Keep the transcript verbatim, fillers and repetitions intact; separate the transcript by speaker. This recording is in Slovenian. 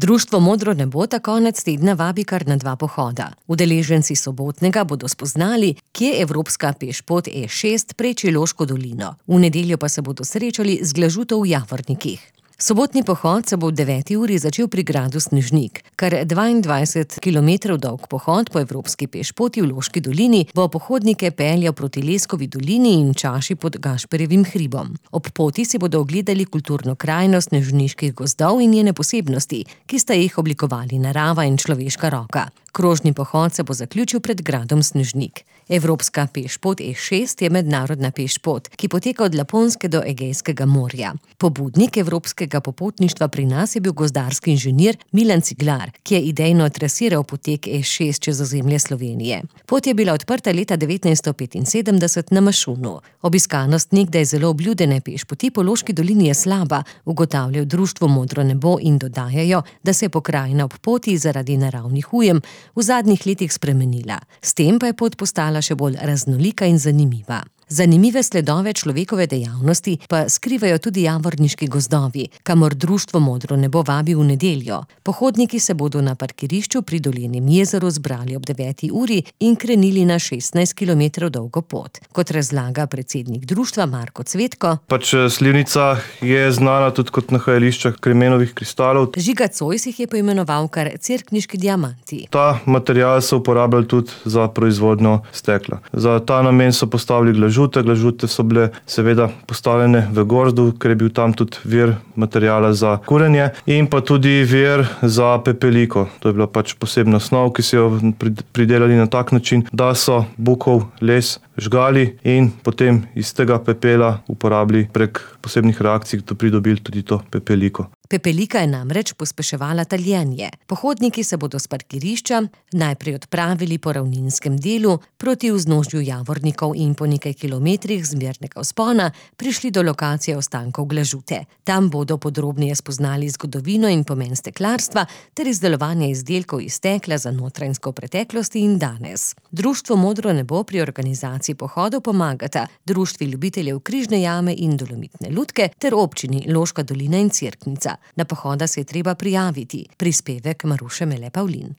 Speaker 1: Društvo Modro nebo ta konec tedna vabi kar na dva pohoda. Udeleženci sobotnega bodo spoznali, kje evropska pešpot E šest preči Loško dolino. V nedeljo pa se bodo srečali z Glažuto v Javornikih. Sobotni pohod se bo ob deveti uri začel pri gradu Snežnik. Kar dvaindvajset kilometrov dolg pohod po evropski pešpoti v Loški dolini bo pohodnike peljal proti Leskovi dolini in čaši pod Gašperjevim hribom. Ob poti si bodo ogledali kulturno krajino snežniških gozdov in njene posebnosti, ki sta jih oblikovali narava in človeška roka. Krožni pohod se bo zaključil pred gradom Snežnik. Evropska pešpot E šest je mednarodna pešpot, ki poteka od Laponske do Egejskega morja. Pobudnik evropskega popotništva pri nas je bil gozdarski inženir Milan Ciglar, ki je idejno trasiral potek E šest čez ozemlje Slovenije. Pot je bila odprta leta devetnajststo petinsedemdeset na Mašunu. Obiskanost nekdaj zelo obljudene pešpoti po Loški dolini je slaba, ugotavljajo društvo Modro nebo in dodajajo, da se je pokrajina ob poti zaradi naravnih ujem v zadnjih letih spremenila. S tem pa je pot postala še bolj raznolika in zanimiva. Zanimive sledove človekove dejavnosti pa skrivajo tudi javorniški gozdovi, kamor društvo Modro nebo vabi v nedeljo. Pohodniki se bodo na parkirišču pri Dolnjem jezeru zbrali ob deveti uri in krenili na šestnajst kilometrov dolgo pot. Kot razlaga predsednik društva Marko Cvetko,
Speaker 2: Pač Slivnica je znana tudi kot nahajališče kremenovih kristalov.
Speaker 1: Žiga Cojs jih je poimenoval kar cerkniški diamanti.
Speaker 2: Ta material so uporabljali tudi za proizvodnjo stekla. Za ta namen so postavili glažute. Glažute so bile seveda postavljene v gozdu, ker je bil tam tudi vir materiala za kurenje in pa tudi vir za pepeliko. To je bila pač posebna snov, ki so jo pridelali na tak način, da so bukov les žgali in potem iz tega pepela uporabili prek posebnih reakcij, da pridobili tudi to pepeliko.
Speaker 1: Pepelika je namreč pospeševala taljenje. Pohodniki se bodo s parkirišča najprej odpravili po ravninskem delu proti vznožju Javornikov in po nekaj kilometrih zmernega vzpona prišli do lokacije ostankov glažute. Tam bodo podrobneje spoznali zgodovino in pomen steklarstva ter izdelovanje izdelkov iz stekla za notranjsko preteklost in danes. Društvo Modro nebo pri organizaciji pohodov pomagata Društvi ljubiteljev Križne jame in Dolomitne lutke ter občini Loška dolina in Cerknica. Na pohoda se je treba prijaviti. Prispevek Maruše Mele Pavlin.